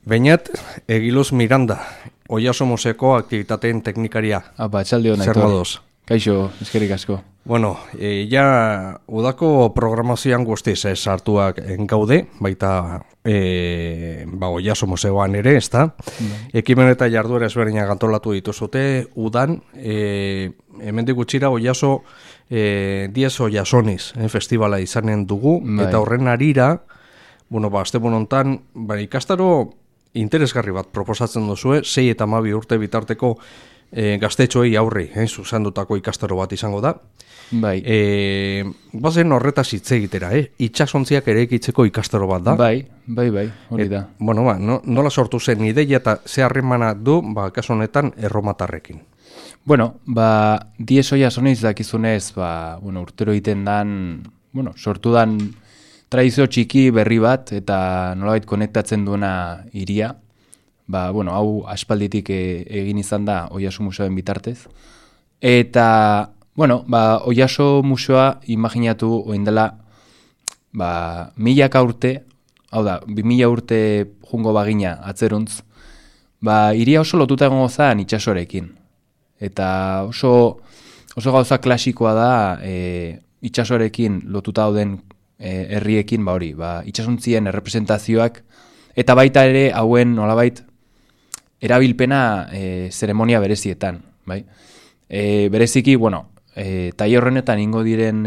Beñat, Egiluz Miranda, Oiaso Museoko aktibitateen teknikaria. Txalde hona, Zer moduz? Kaixo, eskerrik asko. Bueno, ja udako programazioan guztiz sartuak gaude, baita Oiaso Museoan ere, ezta? Ekimen eta jarduera ezberdinak antolatu dituzute, udan, hemendik gutxira Oiaso Diez Oiasoniz festivala izanen dugu, eta horren arira, asteburu hontan, ikastaro interesgarri bat proposatzen duzue, 6 eta 12 urte bitarteko gaztetxoei aurri, zuzendutako ikastaro bat izango da. Bai. Bazen horretaz hitz egitera, itxasontziak ere ekitzeko ikastaro bat da. Bai, hori da. Nola sortu zen ideia eta ze harremana du, kasu honetan, erromatarrekin? Diez Oiasoniz dakizunez, urtero egiten dan, sortu dan tradizio txiki berri bat, eta nolabait konektatzen duena hiria. Hau aspalditik egin izan da Oiaso Museoen bitartez. Eta, Oiaso Museoa imaginatu oindela milaka urte, hau da, 2000 urte jungo bagina atzeruntz, hiria oso lotuta egongo zen itxasorekin. Eta oso gauza klasikoa da itxasorekin lotuta dauden herriekin, itxasontzien errepresentazioak, eta baita ere hauen nolabait erabilpena zeremonia berezietan. Bereziki, taile horrenetan ingo diren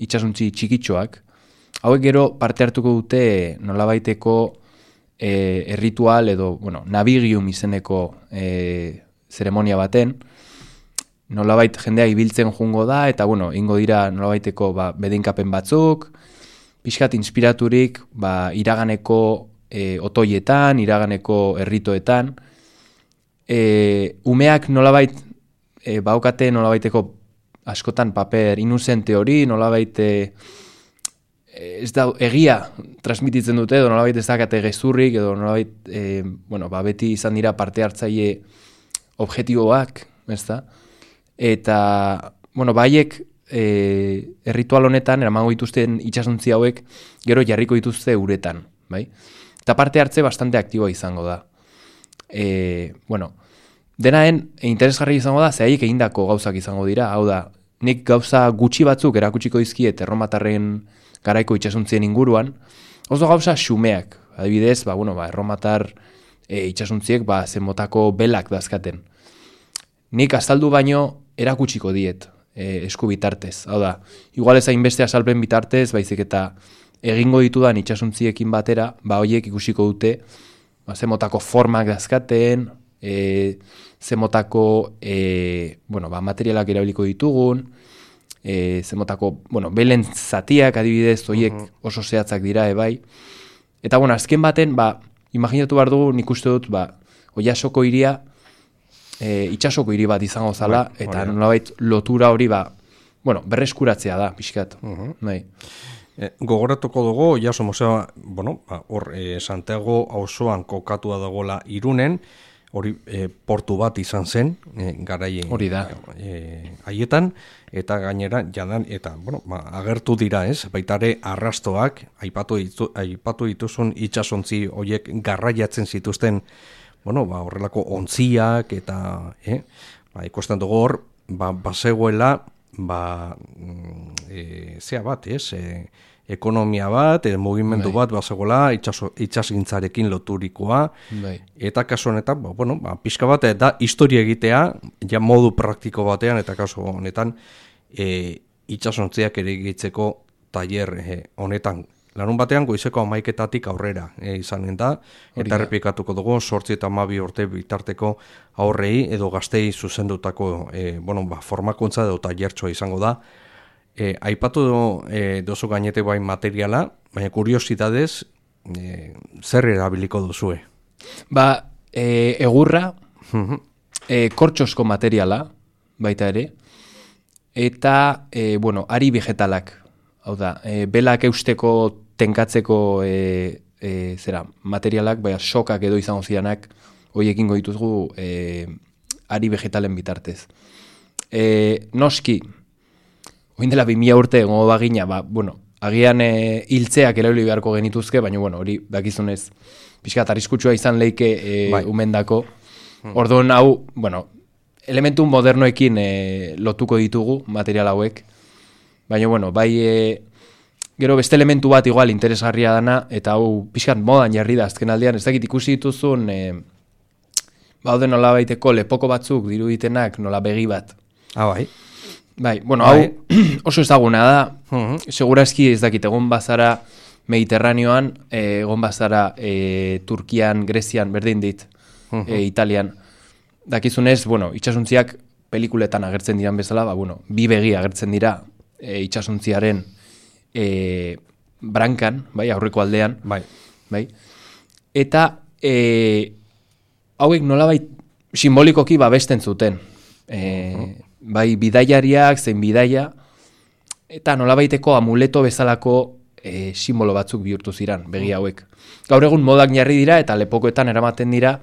itxasontzi txikitxoak, hauek gero parte hartuko dute nolabaiteko erritual edo, navigium izeneko zeremonia baten, nolabait jendea ibiltzen jungo da, eta ingo dira nolabaiteko bedinkapen batzuk, pixkat inspiraturik iraganeko otoietan, iraganeko erritoetan, umeak nolabait baukate nolabaiteko askotan paper inuzente hori, nolabait ez da egia transmititzen dute, edo nolabait ez dakate gezurrik, edo nolabait beti izan dira parte hartzaile objektiboak, ez da? Eta, haiek erritual honetan, eramango dituzten itxasontzi hauek, gero jarriko dituzte uretan, bai? Eta parte hartze bastante aktiboa izango da. Denaen interesgarri izango da, zehaiek egindako gauzak izango dira, hau da, nik gauza gutxi batzuk erakutsiko dizkiet erromatarren garaiko itxasontzien inguruan, oso gauza xumeak, adibidez, erromatar itxasontziek zenmotako belak dazkaten. Nik azaldu baino erakutsiko diet esku bitartez, hau da, igual ez hainbeste azalpen bitartez, baizik eta egingo ditudan itxasontziekin batera, horiek ikusiko dute, zenmotako formak dazkaten, zenmotako materialak erabiliko ditugun, zenmotako, belen zatiak adibidez, horiek oso zehatzak dira, bai. Eta, azken baten, imaginatu behar dugu, nik uste dut, Oiasoko hiria, itxasoko hiri bat izango zala, eta nolabait lotura hori, berreskuratzea da, pixkat. Gogoratuko dugu, Oiaso Museoa, Santiago auzoan kokatua dagoela Irunen, hori portu bat izan zen, garai hori da. Haietan, eta gainera, agertu dira, baitare arrastoak, aipatu dituzun itxasontzi horiek garraiatzen zituzten, horrelako ontziak, eta ikusten dugu hor, bazegoela, zea bat, ekonomia bat, mugimendu bat, bazegoela, itxasgintzarekin loturikoa, eta kasu honetan, pixka bat, da historia egitea, ja modu praktiko batean, eta kasu honetan, itxasontziak ere egitzeko tailer honetan. Larun batean, goizeko 11:00 aurrera izanen da, eta errepikatuko dugu, 8 eta 12 urte bitarteko aurrei, edo gaztei zuzendutako formakuntza edo tailertxoa izango da. Aipatu duzu gainete bai materiala, baina kuriositatez, zer erabiliko duzue? Egurra, kortxosko materiala, baita ere, eta, ari vegetalak, hau da, belak eusteko tenkatzeko materialak, sokak edo izango zidanak, horiekin goituzgu ari vegetalen bitartez. Noski, oin dela 2000 urte egongo bagina, agian hiltzeak eraili beharko genituzke, baina, bueno, hori dakizunez, pixkat arriskutsua izan leike umendako. Orduan hau, bueno, elementu modernoekin lotuko ditugu material hauek, baina, bueno, bai, gero beste elementu bat igual interesgarria dana, eta hau pixkat modan jarri da azken aldean, ez dakit ikusi dituzun, baude nola baiteko lepoko batzuk diruditenak nola begi bat. Bai. Bai, bueno, hau oso ezaguna da, segurazki ez dakit, egon bazara Mediterraneoan, egon bazara Turkian, Grezian, berdin dit, Italian. Dakizunez, bueno, itsasuntziak pelikuletan agertzen diran bezala, bueno, bi begi agertzen dira itsasuntziaren brankan, bai, aurreko aldean. Bai. Eta hauek nolabait simbolikoki babesten zuten. Bai, bidaiariak, zein bidaia, eta nolabaiteko amuleto bezalako simbolo batzuk bihurtu ziran, begi hauek. Gaur egun modak jarri dira eta lepokoetan eramaten dira,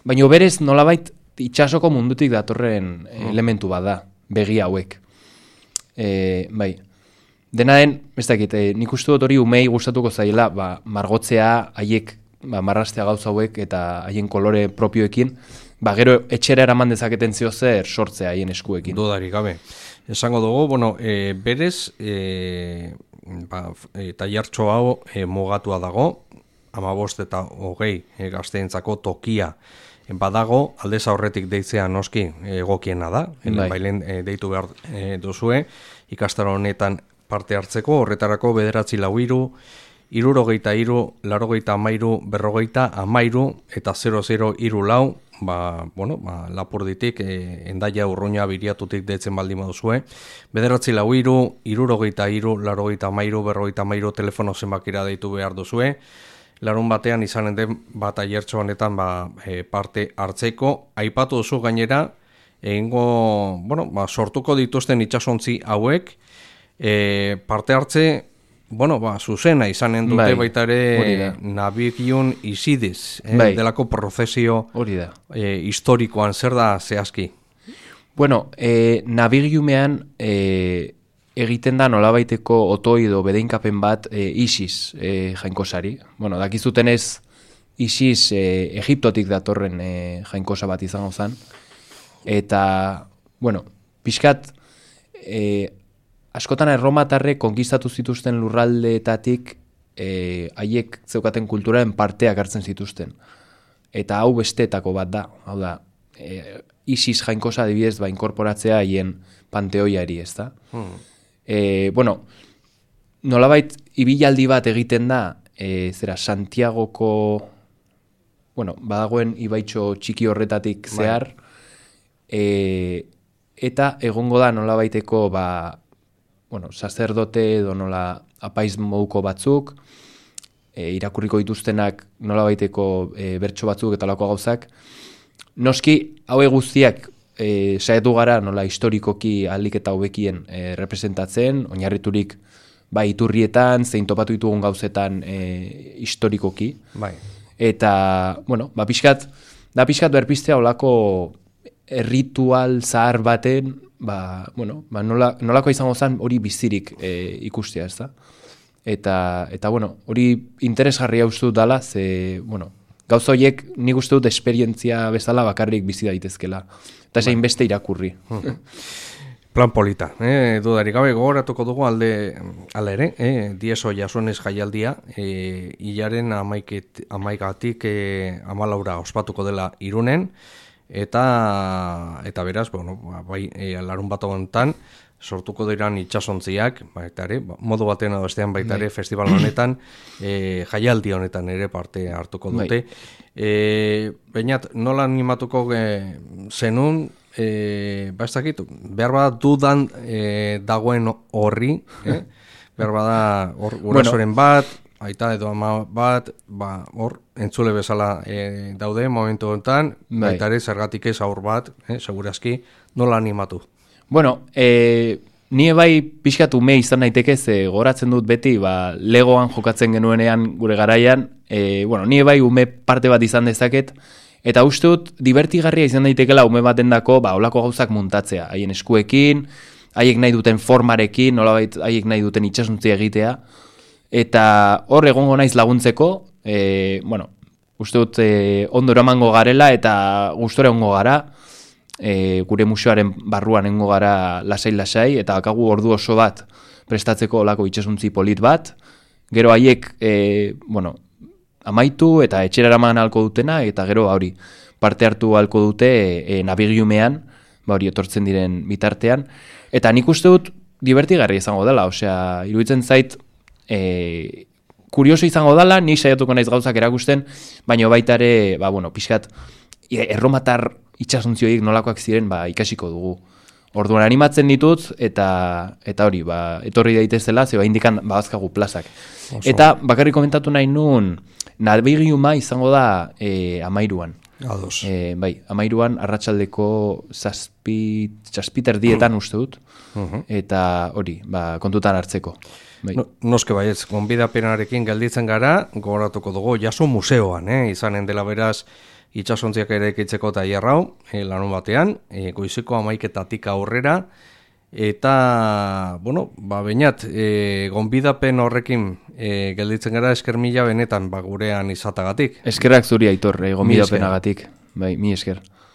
baina berez nolabait itsasoko mundutik datorren elementu bat da, begi hauek. Bai, dena den, ez dakit, nik uste dut hori umei gustatuko zaila, margotzea, haiek, marrastea gauza hauek eta haien kolore propioekin, gero etxera eraman dezaketen zio zer sortzea haien eskuekin. Dudarik gabe. Esango dugu, bueno, berez, tailertxo hau mugatua dago, 15 eta 20 gazteentzako tokia badago, aldez aurretik deitzea noski egokiena da, bailen deitu behar duzue, ikastaro honetan parte hartzeko, horretarako 943, 63, 83, berrogeita, eta 0034, Lapurditik, Endaia Urruña biriatutik deitzen baldin baduzue. 943, 63, 83, berrogeita, telefono zenbakira deitu behar duzue. Larun batean izanen den bat aiertxo honetan parte hartzeko. Aipatu duzu gainera, sortuko dituzten itsasontzi hauek, parte hartze, zuzena izanen dute baita ere Navigium Isidis, delako prozesio historikoan, zer da zehazki? Bueno, Navigiumean egiten da nolabaiteko otoido bedeinkapen bat Isis jainkosari. Bueno, dakizutenez Isis Egiptotik datorren jainkosa bat izango zen. Eta, bueno, pixkat askotan erromatarrek konkistatu zituzten lurraldeetatik haiek zeukaten kulturaren parteak hartzen zituzten. Eta hau besteetako bat da. Hau da, Isis jainkosa adibidez inkorporatzea haien panteoiari, ez da? Nolabait ibilaldi bat egiten da, Santiagoko, badagoen ibaitxo txiki horretatik zehar, eta egongo da nolabaiteko, sacerdote edo nola apaiz moduko batzuk, irakurriko dituztenak nolabaiteko bertso batzuk eta lako gauzak. Noski, haue guztiak saiatu gara nola historikoki ahalik eta hobekien representatzen, oinarriturik iturrietan, zein topatu ditugun gauzetan historikoki. Eta, pixkat berpistea olako ritual zahar baten, nolako izango zen hori bizirik ikustea, ez da? Eta hori interesgarria uste dut dala, gauza horiek nik uste dut esperientzia bezala bakarrik bizi daitezkela. Eta zein beste irakurri. Plan polita, dudarik gabe gogoratuko dugu alde ere, Dieso Jasonez jaialdia, hilaren 11-gatik 14 ospatuko dela Irunen, eta beraz, larun bat honetan, sortuko diran itsasontziak, baita ere, modu batean edo bestean baita ere, festival honetan, jaialdi honetan ere parte hartuko dute. Bainat, nola animatuko zenun, ez dakit, behar bada dudan dagoen horri, behar bada gurasoren bat, aita edo ama bat, hor, entzule bezala daude momentu honetan, baita ere, zergatik ez aur bat, segurazki, nola animatu? Bueno, ni bai pixkat ume izan naiteke, goratzen dut beti, legoan jokatzen genuenean gure garaian, ni bai ume parte bat izan dezaket, eta uste dut divertigarria izan daitekela ume batendako olako gauzak muntatzea, haien eskuekin, haiek nahi duten formarekin, nolabait haiek nahi duten itsasontzi egitea, eta hor egongo naiz laguntzeko, bueno, uste dut ondo eramango garela eta gustora egongo gara, gure museoaren barruan egongo gara lasai-lasai, eta bakagu ordu oso bat prestatzeko olako itsasontzi polit bat, gero haiek, bueno, amaitu eta etxera eraman ahalko dutena, eta gero hori parte hartu ahalko dute nabigiumean, hori etortzen diren bitartean, eta nik uste dut divertigarri izango dela, osea, iruditzen zait, kurioso izango dela, ni saiatuko naiz gauzak erakusten, baina baita ere, bueno, pixkat, erromatar itsasontziek nolakoak ziren, ikasiko dugu. Orduan animatzen ditut, eta hori, etorri daitezela, zeba indikan bazkagu plazak. Oso. Eta bakarrik komentatu nahi nun, nabigiuma izango da 13an. Ados. Bai, 13an arratsaldeko 7:30 uste dut, eta hori, kontutan hartzeko. Bai. Noske baietz, gonbidapenarekin gelditzen gara, gogoratuko dugu, jaso museoan, izanen dela beraz, itsasontziak ere ekitzeko tailerrau, larun batean, goizeko 11:00 aurrera, eta, bueno, bainat, gonbidapen horrekin gelditzen gara, esker mila benetan gurean izatagatik. Eskerrak zuri Aitor, gonbidapenagatik, bai, mi esker.